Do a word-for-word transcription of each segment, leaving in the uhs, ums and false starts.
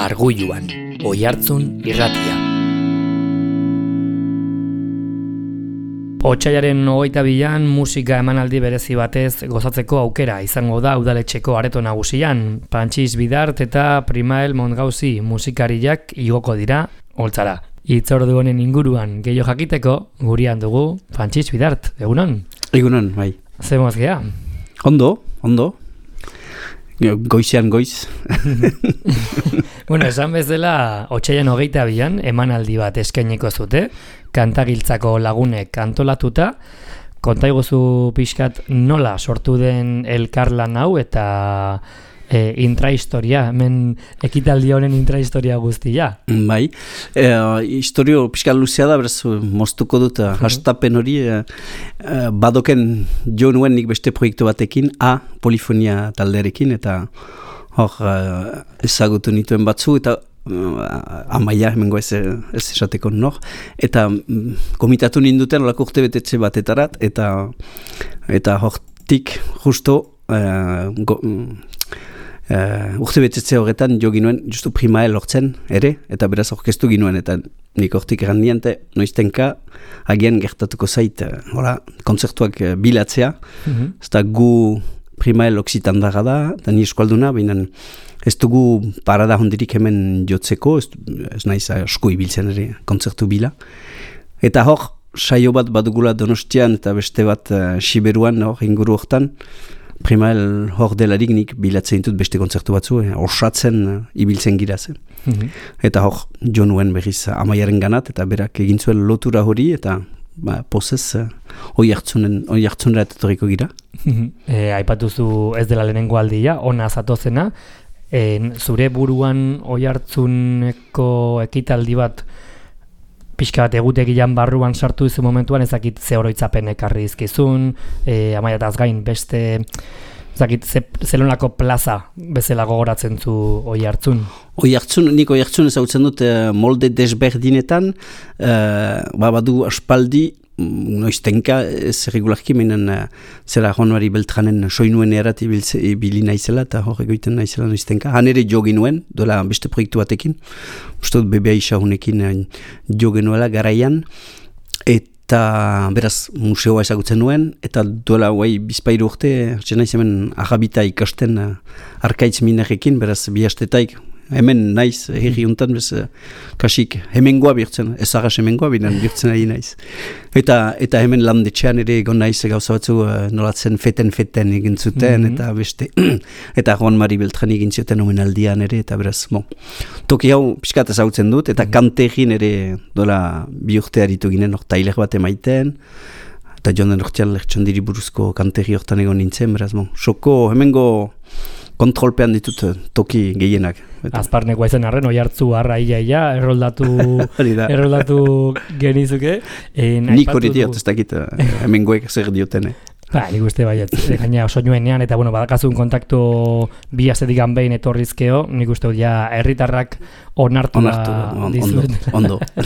Arguluan, Oihartzun irratia. Otsailaren hogeita bian musika emanaldi berezi batez gozatzeko aukera izango da udaletxeko areto nagusian. Pantxis Bidart eta Primael Montgauzi musikariak igoko dira holtzara. Hitzordu honen inguruan gehiago jakiteko gurian dugu Pantxis Bidart. Egunon? Egunon, bai. Zer moz gea? Ondo, ondo. Goizean goiz. Bueno, esan bezala, otsailaren hogeita bian emanaldi bat eskainiko zute, kantagiltzako lagunek antolatuta. Konta iguzu pixkat nola sortu den elkarlan hau eta e, intrahistoria, hemen ekitaldi honen intrahistoria guztia. Bai, e, historio pixkat luzea da, beraz, moztuko dut, uh-huh. hastapen hori, e, badoken jo nuen nik beste proiektu batekin, A, polifonia taldearekin, eta hor ezagutu nituen batzu, eta uh, amaia, hemengo ez, ez esateko nor, eta um, komitatu ninduten olako urte betetxe batetarat, eta eta hortik justo uh, go, uh, urte betetxe horretan jo ginuen justu Primael hortzen ere, eta beraz orkestu ginuen, eta nik hortik eran niente, noiztenka agian gertatuko zait, uh, hola, kontzertuak uh, bilatzea, mm-hmm. Eta gu Primael oksitandaga da, eta ni eskualduna, baina ez dugu parada hondirik hemen jotzeko, ez, ez naiz asko ibiltzen ere kontzertu bila. Eta hor, saio bat badugula Donostian eta beste bat uh, Siberuan, hor, inguru hortan, Primael hor delarik nik bilatzen ditut beste kontzertu batzu, eh, orsatzen uh, ibiltzen giraz. Mm-hmm. Eta hor, jo nuen berriz amaiaren ganat, eta berak egin zuen lotura hori, eta ba, pozez, uh, oi hartzunera etorriko gira. E, aipatuzu ez dela lehenengo aldia, ona zatozena, e, zure buruan Oihartzuneko ekitaldi bat pixka bat egutegian barruan sartu izu momentuan, ezakit ze oroitzapen ekarri izkizun, e, amaiataz gain beste, ezakit ze, zelonako plaza bezala gogoratzen zu Oihartzun. Oihartzun, nik Oihartzun ezagutzen dut uh, molde desberdinetan, uh, ba, badu aspaldi, noiztenka ez regularki meinen uh, zera Juan-Mari Beltranen soinuen erat ibili naizela eta hor egoiten naizela noiztenka. Han ere jo ginuen, dola beste proiektu batekin, uste dut bebea isahunekin uh, jo genuela garaian, eta beraz museoa ezagutzen nuen, eta dola guai bizpairu urte, hartzen naiz hemen agabita ikasten uh, arkaitz minerekin, beraz bi astetaik, hemen naiz, herri untan, bez, kasik hemengoa birtzen, ezagas hemengoa binan birtzen ari naiz. Eta, eta hemen landetxean ere egon naiz gauza batzu uh, nolatzen feten-feten egin zuten, mm-hmm. eta beste, eta Juan-Mari Beltran egin zuten omenaldian ere, eta beraz, bon, toki hau pixkat ezagutzen dut, eta mm-hmm. kantegin ere dola bi urte aritu ginen, hor tailer bat emaiten, eta joan den hortian lertxondiri buruzko kantegi hortan egon nintzen, beraz, bon, soko hemengo kontrolpean ditut toki gehienak. Azparnekoa izan arren, Oihartzu arra ia ia, erroldatu, erroldatu genizuke. E, Nik hori diot, ez dakit, hemengoek zer diotene. Ba, nik uste baiet, gaina oso nuenean, eta bueno, badakazun kontaktu bi astetik behin etorrizkeo, nik uste ja herritarrak onartu da dizuet. Ondo, ondo.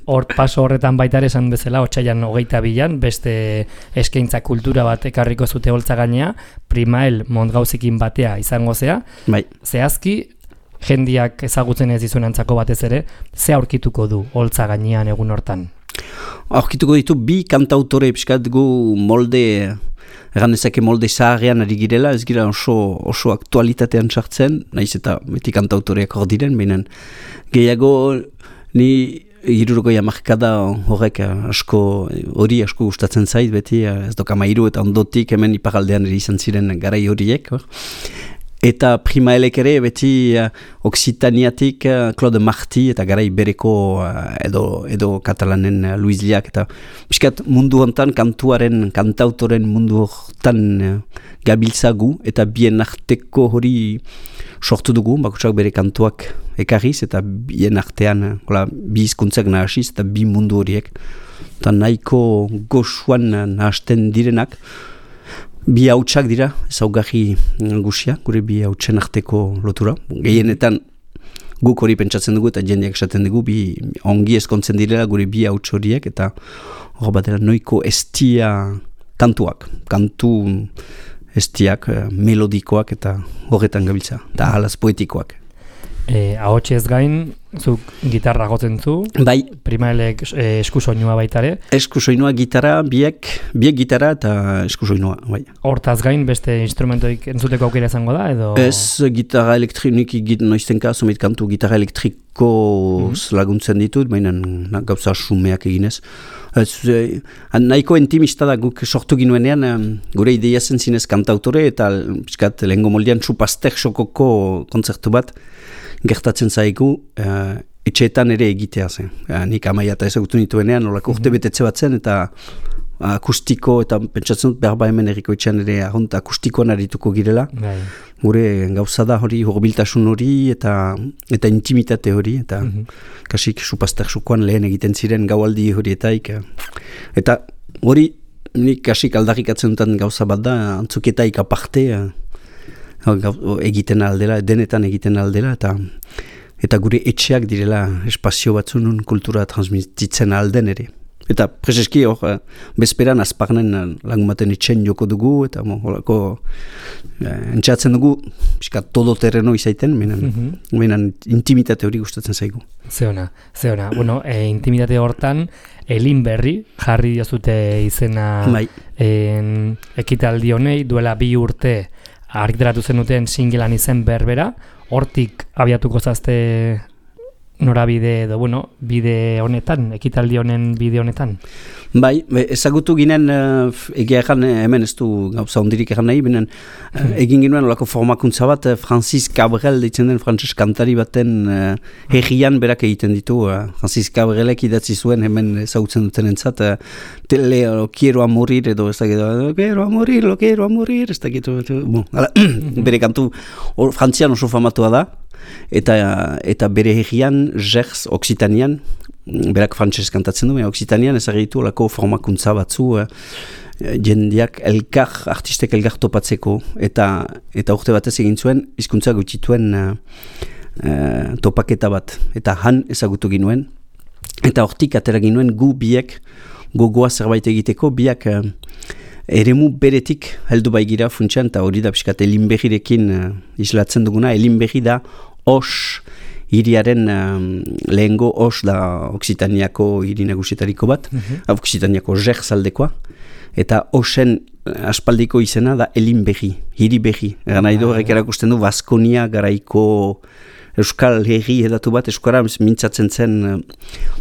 Hor paso horretan baita ere esan bezala, otsailan hogeita bian, beste eskaintza kultura bat ekarriko zute holtza gainea, Primael Montgauzikin batea izango zea. Bai. Zehazki, jendiak ezagutzen ez dizunantzako batez ere, ze aurkituko du holtza gainean egun hortan? Aurkituko ditu bi kantautore pixkat gu molde, egan ezake molde zaharrean ari girela, ez gira oso, oso aktualitatean sartzen, nahiz eta beti kantautoreak hor diren, behinan gehiago ni hirurogoi hamarkada horrek asko, hori asko gustatzen zait, beti ez doka mairu eta ondotik hemen iparaldean ere izan ziren garai horiek, hor. Eta Primaelek ere beti uh, Oksitaniatik uh, Claude Marti eta garai bereko uh, edo, edo katalanen uh, Luis Liak eta biskat mundu hontan kantuaren, kantautoren mundu hortan uh, gabiltzagu eta bien arteko hori sortu dugu, bakutsak bere kantuak ekarriz eta bien artean uh, hola, bi hizkuntzak nahasiz eta bi mundu horiek eta nahiko goxuan uh, nahasten direnak. Bi hautsak dira, ezaugarri gusia, gure bi hautsen arteko lotura. Gehienetan guk hori pentsatzen dugu eta jendeak esaten dugu, bi ongi ezkontzen direla gure bi hauts horiek, eta hor batera noiko estia kantuak, kantu estiak, melodikoak eta horretan gabiltza, eta halaz poetikoak. E, ahotsez gain, zuk gitarra gotzen zu, bai. Primaelek e, eskusoinua baitare. Eskusoinua, gitarra, biek, biek gitarra eta eskusoinua, bai. Hortaz gain, beste instrumentoik entzuteko aukera izango da, edo? Ez, gitarra elektronik egit noiztenka, zomit kantu gitarra elektriko mm. laguntzen ditut, baina na, gauza sumeak eginez. Ez, eh, nahiko intimista da guk sortu ginuenean, eh, gure ideia zen zinez kantautore, eta piskat, lehengo moldean txupaztek sokoko kontzertu bat, gertatzen zaigu, uh, etxeetan ere egitea zen. Uh, nik amaia eta ezagutu nituenean, olako urte betetze bat zen, eta akustiko, eta pentsatzen dut behar ba hemen erriko etxean ere ahont akustikoan arituko girela. Bai. Gure gauza da hori, horbiltasun hori, eta eta intimitate hori, eta mm -hmm. kasik supazter sukoan lehen egiten ziren gaualdi horietaik. Eta hori, nik kasik aldarrikatzen dutan gauza bat da, antzuketaik aparte, egiten aldela, denetan egiten aldela, eta eta gure etxeak direla espazio batzun kultura transmititzen alden ere. Eta preseski hor, bezperan azparnen lagumaten etxen joko dugu, eta horako eh, entxeatzen dugu, pixka todo terreno izaiten, menan, mm-hmm. menan intimitate hori gustatzen zaigu. Zeona, zeona. Bueno, e, intimitate hortan, Elin Berri, jarri diozute izena bai. en, ekitaldi honei, duela bi urte, argitaratu zenuten singlean izen berbera, hortik abiatuko zazte norabide edo, bueno, bide honetan, ekitaldi honen bide honetan? Bai, ezagutu ginen, uh, egia egan, hemen ez du gauza hondirik egan nahi, binen, uh, egin ginen olako formakuntza bat, uh, Francis Cabrel ditzen den frantses kantari baten uh, herrian berak egiten ditu. Uh, Francis Cabrelek idatzi zuen hemen ezagutzen duten entzat, uh, tele, lo quiero a morir, edo ez dakit, lo quiero a morir, lo quiero a morir, ez dakit, bon, ala, bere kantu or, frantzian oso famatua da, eta, eta bere herrian, Gers, Occitanian, berak frantses kantatzen du, Occitanian ezagitu olako formakuntza batzu, eh, jendeak elkar, artistek elkar topatzeko, eta eta urte batez egin zuen, hizkuntza gutxituen eh, eh, topaketa bat, eta han ezagutu ginuen, eta hortik atera ginuen gu biek gogoa zerbait egiteko, biak eh, eremu beretik heldu baigira funtsean, eta hori da pixkat Elinberrirekin eh, islatzen duguna. Elinberri da os hiriaren um, lehengo os da Occitaniako hiri nagusietariko bat, mm-hmm. Occitaniako Gers aldekoa, eta osen aspaldiko izena da Elinberri, hiri berri. Egan nahi du, horrek erakusten du, Baskonia garaiko euskal herri edatu bat, euskara mintzatzen zen uh,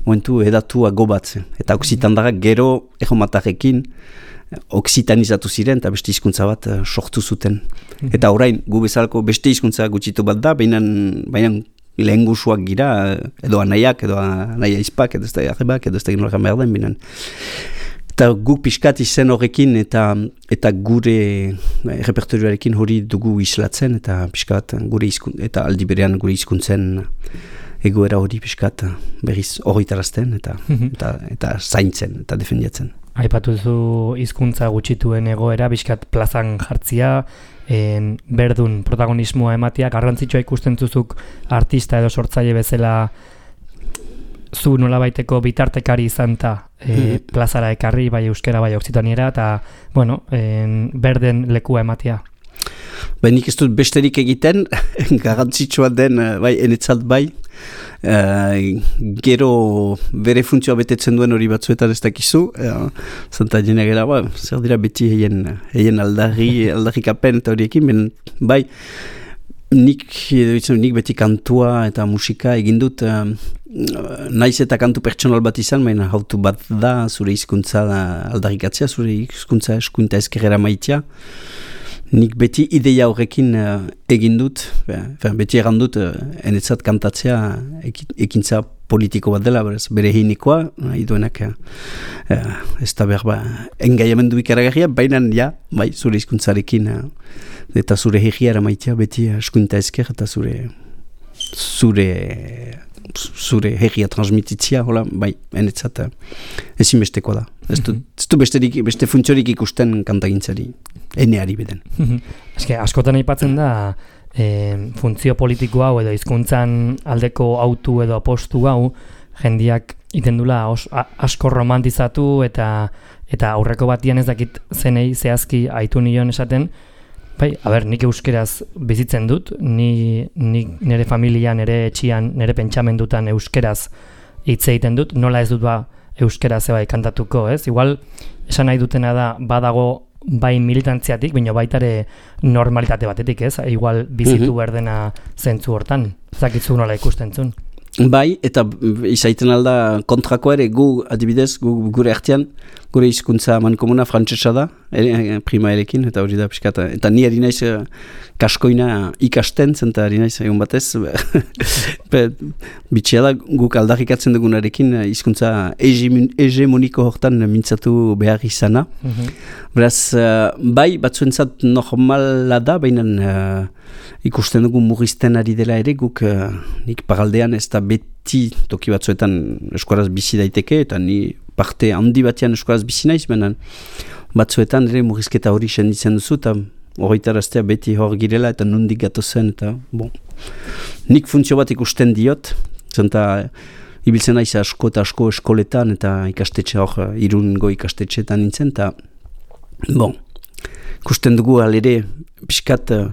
momentu edatua gobatzen. Eta Occitandarrak gero egomatarrekin oksitanizatu ziren, eta beste hizkuntza bat uh, sortu zuten. Mm-hmm. Eta orain, gu bezalako beste hizkuntza gutxitu bat da, baina lehen guzuak gira, edo anaiak, edo anaia izpak, edo ez da jarrebak, edo ez da ginorak behar den, binan. Eta guk pixkat izen horrekin, eta, eta gure repertorioarekin hori dugu islatzen, eta pixkat gure izkun, eta aldi berean gure hizkuntzen egoera hori pixkat berriz horritarazten, eta, mm-hmm. eta, eta zaintzen, eta defendiatzen. Aipatu zu hizkuntza gutxituen egoera, pixkat plazan jartzia, En, berdun protagonismoa ematia, garrantzitsua ikusten zuzuk artista edo sortzaile bezala zu nolabaiteko bitartekari izan ta e, plazara ekarri, bai euskera, bai oksitaniera, eta, bueno, en, berden lekua ematia. Ba, nik ez dut besterik egiten, garrantzitsua den, bai, enetzat bai, uh, gero bere funtzioa betetzen duen hori batzuetan ez dakizu, uh, zanta jena gara, ba, zer dira beti heien, heien aldarri, aldarrikapen eta horiekin, ben, bai, nik, nik beti kantua eta musika egin dut, uh, naiz eta kantu pertsonal bat izan, baina hautu bat da, zure hizkuntza aldarrikatzea, zure hizkuntza eskuinta ezkerrera maitea. Nik beti ideia horrekin uh, egin dut, ben, beti egan dut, uh, enetzat kantatzea ekintza politiko bat dela, berez, bere hinikoa, nahi duenak, uh, ez da behar ba, engaiamendu ikaragarria, baina ja, bai, zure hizkuntzarekin, uh, eta zure herriara maitea, beti eskuinta ezker, eta zure, zure, zure herria transmititzia, hola, bai, enetzat, uh, ezinbesteko da. Ez du, ez du besterik, beste funtziorik ikusten kantagintzari, eneari beden. Eske, askotan aipatzen da, e, funtzio politiko hau edo hizkuntzan aldeko autu edo apostu hau, jendiak itendula os, a, asko romantizatu eta eta aurreko batian ez dakit zenei zehazki aitu nion esaten, Bai, a ber, nik euskeraz bizitzen dut, ni, ni nire familia, nire etxian, nire pentsamendutan euskeraz hitz egiten dut, nola ez dut ba euskeraz bai kantatuko, ez? Igual, esan nahi dutena da, badago bai militantziatik, baina baitare normalitate batetik, ez? Igual bizitu mm-hmm. berdena zentzu hortan, zakitzu nola ikusten zuen. Bai, eta izaiten alda kontrako ere, gu adibidez, gu, gure artean, gure hizkuntza mankomuna frantsesa da, ere, prima erekin, eta hori da pixkata. Eta ni ari naiz kaskoina ikasten, zenta ari naiz egun batez. Bitxea da, guk aldarrikatzen dugunarekin hizkuntza hegemoniko hortan mintzatu behar izana. Mm-hmm. Beraz, bai, batzuentzat normala da, baina uh, ikusten dugu murrizten ari dela ere, guk uh, nik pagaldean ez da beti toki batzuetan eskuaraz bizi daiteke, eta ni parte handi batean eskuaraz bizi naiz, baina batzuetan ere murrizketa hori senditzen duzu, eta horretaraztea beti hor girela, eta nondik gatozen, eta bon. Nik funtzio bat ikusten diot, zenta ibiltzen naiz asko eta asko eskoletan, eta ikastetxe hor, Irungo ikastetxeetan nintzen, eta bon, ikusten dugu alere pixkat uh,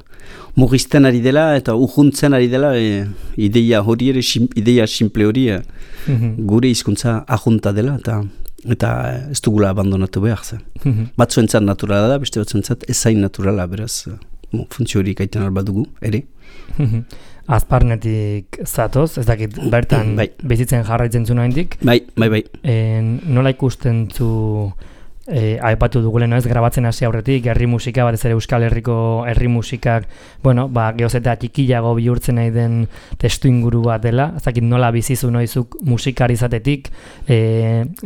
murrizten ari dela eta urruntzen ari dela e, ideia hori ere, sim, ideia simple hori e, mm-hmm. gure hizkuntza ajunta dela eta eta ez dugula abandonatu behar zen. Mm-hmm. Batzuentzat naturala da, beste batzuentzat ezain naturala, beraz uh, funtzio hori gaiten alba dugu, ere. Mm-hmm. Azparnetik zatoz, ez dakit bertan bai. Bizitzen jarraitzen zu nahindik. Bai, bai, bai. En, nola ikusten zu E, aipatu duguleno ez, grabatzen hasi aurretik, herri musika, batez ere Euskal Herriko herri musikak, bueno, ba, gehoz eta txikiago bihurtzen nahi den testu inguru bat dela, ezakit nola bizizu noizuk musikari izatetik, e,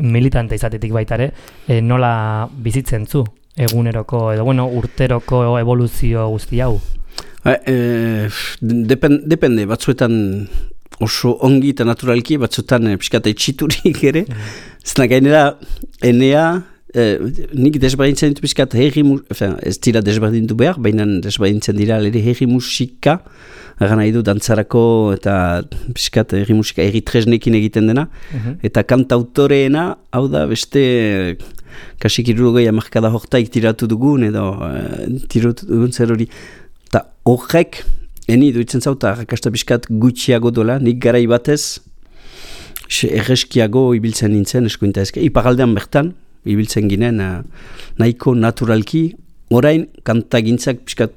militante izatetik baitare, e, nola bizitzen zu, eguneroko, edo bueno, urteroko evoluzio guzti hau? E, e, depen, depende, batzuetan oso ongi eta naturalki, batzuetan e, pixkata itxiturik ere, mm. zena gainera, enea, Eh, nik desberdintzen ditu bizkat herri musika, ez dira desberdintu behar, baina desberdintzen dira ere herri musika, gara nahi du dantzarako eta bizkat herri musika herri tresnekin egiten dena, uh-huh. eta kantautoreena, hau da beste kasik irurogei amarkada hortaik tiratu dugun, edo uh, tiratu dugun zer hori, eta horrek, eni duitzen zauta, rakasta bizkat gutxiago dola, nik garai batez, erreskiago ibiltzen nintzen, eskuinta ezke, iparaldean bertan, ibiltzen ginen uh, nahiko naturalki, orain kantagintzak piskat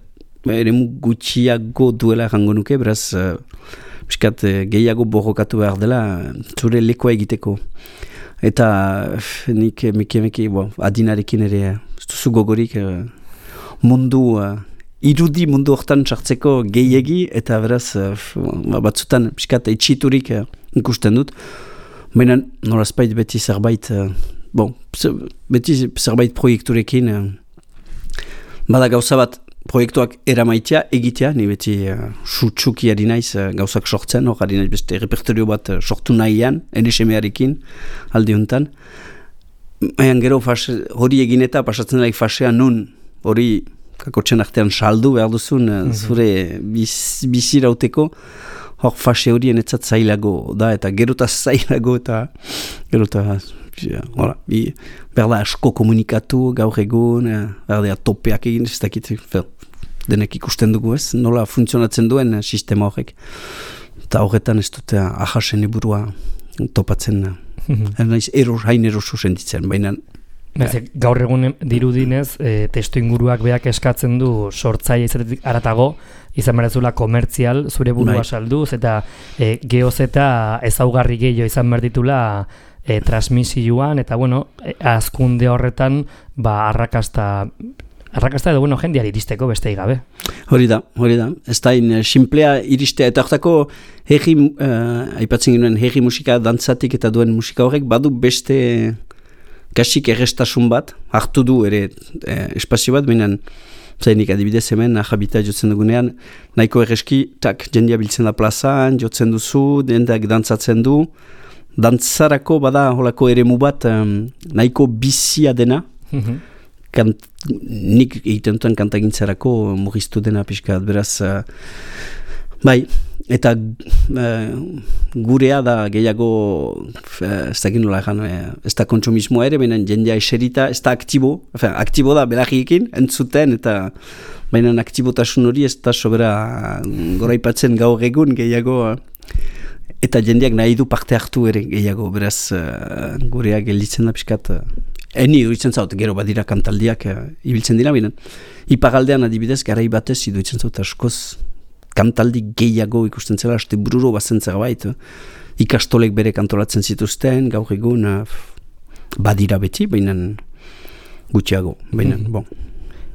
eremu gutxiago duela jango nuke, beraz uh, piskat uh, gehiago borrokatu behar dela zure lekoa egiteko. Eta uh, nik meke-meke bo, adinarekin ere uh, duzu gogorik uh, mundu uh, irudi mundu hortan sartzeko gehiegi, eta beraz uh, batzutan piskat itxiturik uh, ikusten dut, baina norazpait beti zerbait uh, bon, beti zerbait proiekturekin uh, bada gauza bat proiektuak eramaitea, egitea, ni beti uh, sutsuki ari naiz uh, gauzak sortzen, hor ari naiz beste repertorio bat uh, sortu nahian, N S M-arekin aldi honetan. Ean gero fase, hori egin eta pasatzen daik fasea nun hori kakotxen artean saldu behar duzun uh, mm-hmm. zure biz, bizirauteko, hor fase horien etzat zailago da, eta gerota zailago eta gerota ja, hola, bi, berda asko komunikatu gaur egun, berdea topeak egin, ez dakit, denek ikusten dugu ez, nola funtzionatzen duen sistema horrek. Eta horretan ez dute ahasen eburua topatzen, mm-hmm. eros, hain eroso sentitzen, baina Beze, gaur egun dirudinez, e, testu inguruak beak eskatzen du sortzaile izatetik aratago, izan berezula komertzial, zure burua bai. Salduz, eta e, geoz eta ezaugarri gehiago izan berditula e, transmisioan, eta bueno, e, azkunde horretan, ba, arrakasta, arrakasta edo, bueno, jendeari iristeko beste gabe. Hori da, hori da. Ez da, in, simplea iristea, eta hortako herri, uh, aipatzen ginen, herri musika, dantzatik eta duen musika horrek, badu beste kasik errestasun bat, hartu du ere e, espazio bat, baina zainik adibidez hemen, ahabita jotzen dugunean, nahiko erreski, tak, jendia biltzen da plazan, jotzen duzu, jendeak dantzatzen du, dantzarako bada holako eremu bat, um, nahiko bizia dena, mm-hmm. Kant, nik egiten duten kantagintzarako murriztu dena pixkat, beraz, uh, bai, eta uh, gurea da gehiago, ez da nola egan, ez da kontsumismoa ere, baina jendea eserita, ez da aktibo, efe, aktibo da belagiekin, entzuten, eta baina aktibotasun hori ez da sobera goraipatzen gaur egun gehiago, eta jendeak nahi du parte hartu ere gehiago, beraz uh, gurea gelditzen da pixkat. Uh, eni duitzen zaut, gero badira kantaldiak uh, ibiltzen dira, binen. Ipagaldean adibidez, garai batez iduitzen zaut askoz kantaldi gehiago ikusten zela, aste bururo bazen zerbait. Uh, ikastolek bere kantolatzen zituzten, gaur egun uh, badira beti, binen gutxiago, binen, mm. bon.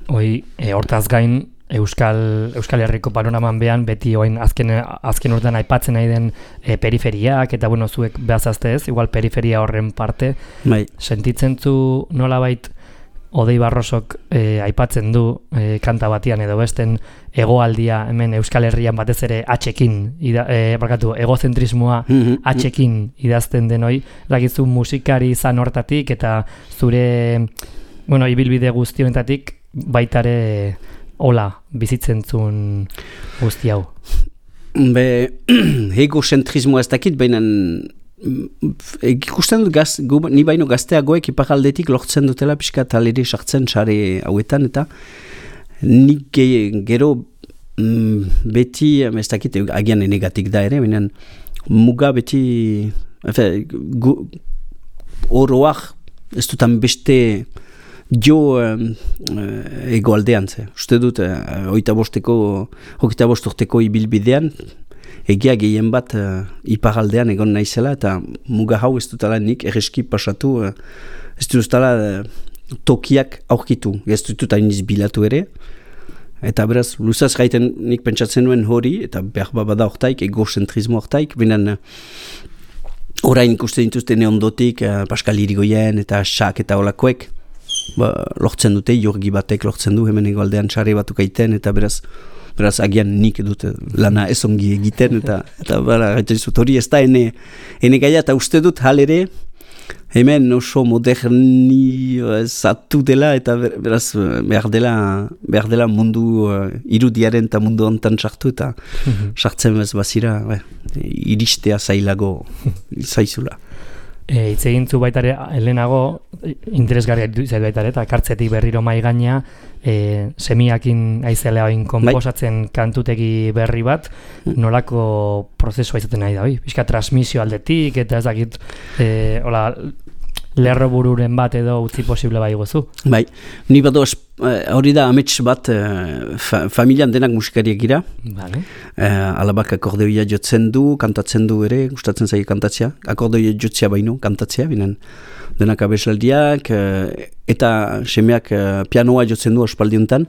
Hoi, e, hortaz gain, Euskal, Euskal Herriko panoraman behan, beti oain azken, azken urtean aipatzen nahi den e, periferiak, eta bueno, zuek behazazte ez, igual periferia horren parte. Bai. Sentitzen zu nolabait Odei Barrosok e, aipatzen du e, kanta batian edo besten egoaldia hemen Euskal Herrian batez ere atxekin, ida, e, barkatu, egozentrismoa mm-hmm. atxekin idazten denoi, dakizu musikari izan hortatik eta zure, bueno, ibilbide guztionetatik baitare hola, bizitzen zuen guzti hau? Be, egozentrismoa ez dakit, baina ikusten dut gaz, gu, ni baino gazteagoek ipagaldetik lortzen dutela pixka taleri sartzen sare hauetan, eta nik ge, gero mm, beti, ez dakit, agian enegatik da ere, baina muga beti, efe, gu, oroak, ez dutan beste jo um, egoaldean ze. Uste dut, uh, oita bosteko, hogeita bosturteko ibilbidean, egia gehien bat uh, iparaldean egon naizela, eta muga hau ez dutala nik erreski pasatu, uh, ez dutala uh, tokiak aurkitu, ez dut hainiz bilatu ere, eta beraz, luzaz gaiten nik pentsatzen nuen hori, eta behar bada hortaik, egozentrismo hortaik, binen uh, orain ikusten dituzte neondotik, uh, Pascal Irigoyen eta Xak eta olakoek, ba, lortzen dute, jorgi batek lortzen du, hemen egoaldean sare batuk aiten, eta beraz, beraz agian nik dute lana ez ongi egiten, eta, eta bara, gaitezut hori ez da ene, ene gaia, eta uste dut halere, hemen oso moderni zatu dela, eta beraz behar dela, behar dela mundu uh, irudiaren eta mundu ontan sartu, eta sartzen bez bazira, be, iristea zailago zaizula. E, Itz egin zu baitare, helenago, interesgarria zait baitare, eta kartzetik berriro mai gaina, e, semiakin aizelea oin konposatzen bai. Kantutegi berri bat, nolako prozesua izaten nahi da, oi? Bizka transmisio aldetik, eta ez dakit, e, hola, lerro bururen bat edo utzi posible bai gozu. Bai, ni bado hori da amets bat fa, familian denak musikariak gira. Vale. Uh, alabak akordeoia jotzen du, kantatzen du ere, gustatzen zaio kantatzea. Akordeoia jotzea baino, kantatzea, binen denak abesaldiak, uh, eta semeak uh, pianoa jotzen du ospaldiuntan.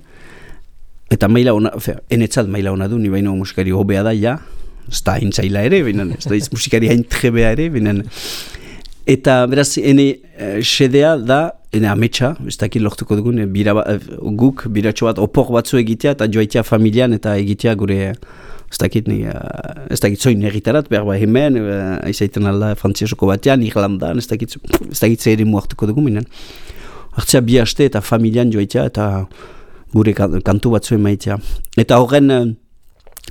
Eta maila ona, fe, enetzat maila ona du, ni baino musikari hobea da, ja. Ez da haintzaila ere, binen, ez da musikari hain trebea ere, binen. Eta beraz, ene uh, sedea da, ene ametsa, ez dakit lortuko dugun, bira, uh, guk biratxo bat opor batzu egitea, eta joaitea familian, eta egitea gure, ez dakit, ni, uh, ez dakit zoin egitarat, behar ba hemen, uh, aizaiten alda frantziasoko batean, Irlandan, ez dakit, ez dakit zer ere muartuko dugun, minen. Hartzea bi haste eta familian joaitea, eta gure kantu batzu emaitea. Eta horren, uh,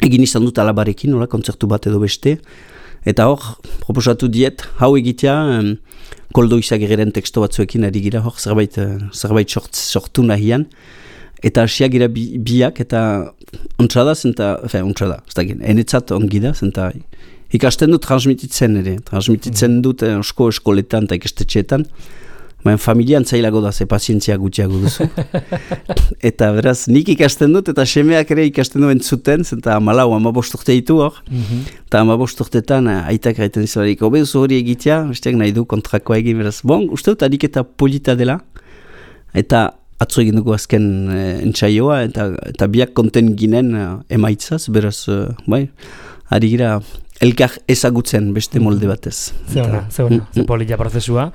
egin izan dut alabarekin, nola, kontzertu bat edo beste, eta hor, proposatu diet, hau egitea, um, koldo izagirren teksto batzuekin ari gira, hor, zerbait, uh, zerbait sort, sortu nahian, eta hasiak gira bi, biak, eta ontsada zenta, fe, ontsada, ez da gen, enetzat ongi da, zenta ikasten dut transmititzen ere, transmititzen dut eh, osko eskoletan eta ikastetxeetan, baina familian zailago da, ze pazientzia gutxiago duzu. Eta beraz, nik ikasten dut, eta semeak ere ikasten duen zuten, zenta amalau, amabosturte ditu hor, eta amabosturtetan aitak gaiten izabarik, hobe duzu hori egitea, besteak nahi du kontrakoa egin, beraz, bon, uste dut adik eta polita dela, eta atzo egin dugu azken e, entsaioa, eta, eta biak konten ginen e, emaitzaz, beraz, e, bai, ari gira, elkar ezagutzen beste molde batez. Zeona, zeona, ze polita prozesua.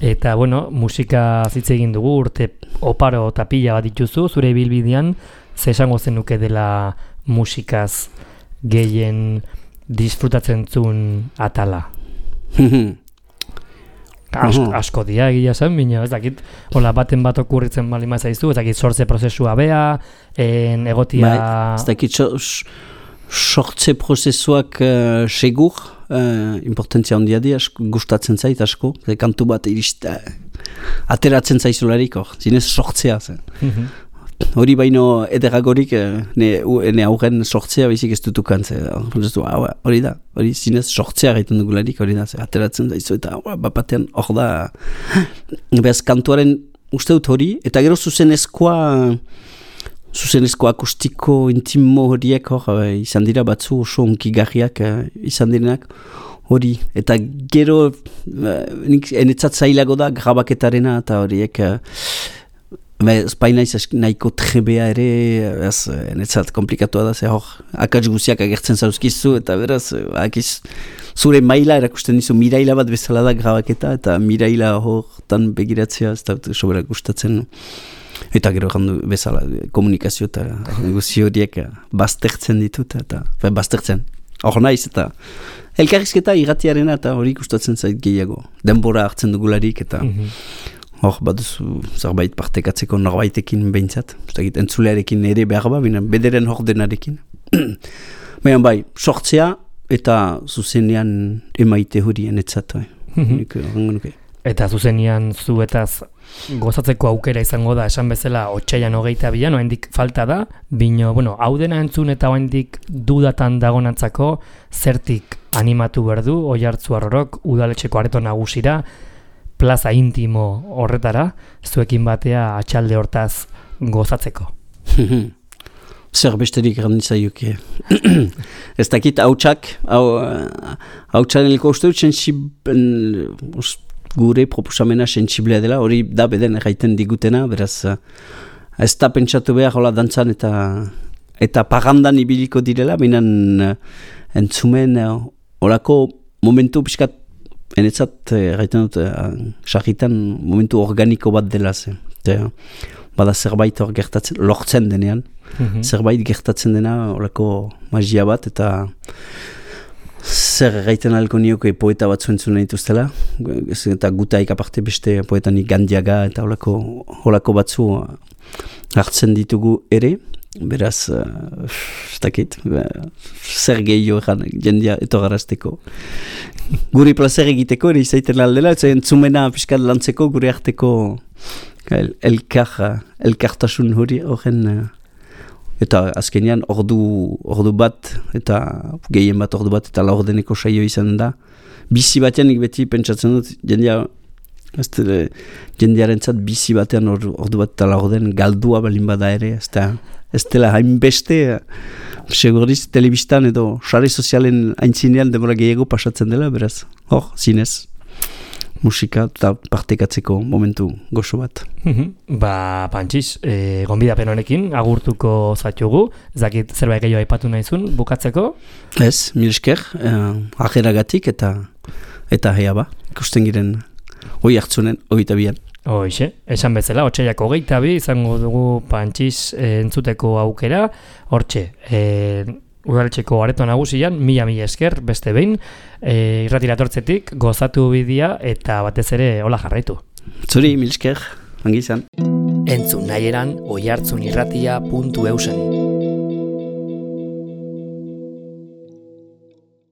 Eta, bueno, musika zitze egin dugu, urte oparo eta pila bat dituzu, zure ibilbidean, ze esango zenuke dela musikaz gehien disfrutatzen zuen atala? Asko, asko dia egia zen, bina, ez dakit, hola, baten bat okurritzen balima zaizu, ez dakit sortze prozesua bea, en egotia... Bai, ez dakit sortze prozesuak uh, segur, uh, importantzia handia di, asko, gustatzen zait asko, ze kantu bat irista, ateratzen zaizularik, hor, zinez sortzea zen. Mm-hmm. Hori baino ederagorik ne, ne aurren sortzea baizik ez dutukan, ze, hori da, hori zinez sortzea gaiten dugularik, hori da, ze, ateratzen zaizu, eta bapatean hor da, behaz kantuaren uste dut hori, eta gero zuzenezkoa, zuzenezko akustiko intimo horiek hor, izan dira batzu oso onkigarriak izan direnak hori, eta gero nik enetzat zailago da grabaketarena eta horiek espainaiz nahiko trebea ere ez, enetzat komplikatua da, ze hor akats guziak agertzen zauzkizu eta beraz akiz, zure maila erakusten dizu miraila bat bezala da grabaketa eta miraila hortan begiratzea ez da sobera gustatzen. Eta gero gandu bezala komunikazio eta guzi horiek baztertzen ditut eta baztertzen. Hor naiz eta elkarrizketa irratiarena eta hori gustatzen zait gehiago. Denbora hartzen dugularik eta hor baduzu zerbait partekatzeko norbaitekin behintzat. Zagit entzulearekin ere behar ba, binen bederen hor denarekin. Baina bai, sortzea eta zuzenean emaite hori enetzat. Nik horrengo nuke. Eta zuzenean zuetaz gozatzeko aukera izango da, esan bezala otsailean hogeita bian, oraindik falta da, bino, bueno, hau dena entzun eta oraindik dudatan dagonantzako zertik animatu berdu, Oiartzun Arrorok udaletxeko areto nagusira, plaza intimo horretara, zuekin batea atxalde hortaz gozatzeko. Zer besterik grandizaioke. Ez dakit hautsak, hautsan elko uste dut sensiben gure proposamena sensiblea dela, hori da beden erraiten digutena, beraz ez da pentsatu behar hola dantzan eta eta pagandan ibiliko direla, binan entzumen horako momentu piskat enetzat erraiten dut sarritan momentu organiko bat dela zen. Bada zerbait hor gertatzen, lortzen denean, mm-hmm. zerbait gertatzen dena horako magia bat eta zer gaiten alko nioke poeta bat zuentzun dituztela, eta gutaik aparte beste poetanik Gandiaga eta holako, holako batzu hartzen ditugu ere, beraz, ez dakit, zer gehiago egan jendia etogarazteko. Guri plazer egiteko ere izaiten aldela, ez entzumena piskat lantzeko gure arteko el, elkar, elkartasun hori horren eta azkenean ordu, ordu bat eta gehien bat ordu bat eta laurdeneko saio izan da. Bizi batean nik beti pentsatzen dut jendia, jendiaren zat bizi batean ordu, ordu bat eta laurden galdua balin bada ere, ez da, ez dela hainbeste, seguriz telebistan edo sare sozialen aintzinean demora gehiago pasatzen dela, beraz, hor, zinez. Musika eta partekatzeko momentu gozo bat. Mm-hmm. Ba, Pantxiz, e, gonbidapen honekin agurtuko zaitugu, zakit zerbait gehiago aipatu nahizun, bukatzeko? Ez, mil esker, eh, ajeragatik eta eta hea ba, ikusten giren hoi hartzunen, hogeita bian. Hoixe, esan bezala, otsailak hogeita bi, izango dugu Pantxiz e, entzuteko aukera, hortxe, e, udaletxeko areto nagusian, mila mila esker, beste behin, e, irratira tortzetik, gozatu bidea eta batez ere hola jarraitu. Zuri, mil esker, ongi izan. Entzun nahi eran oiartzunirratia puntu eusen.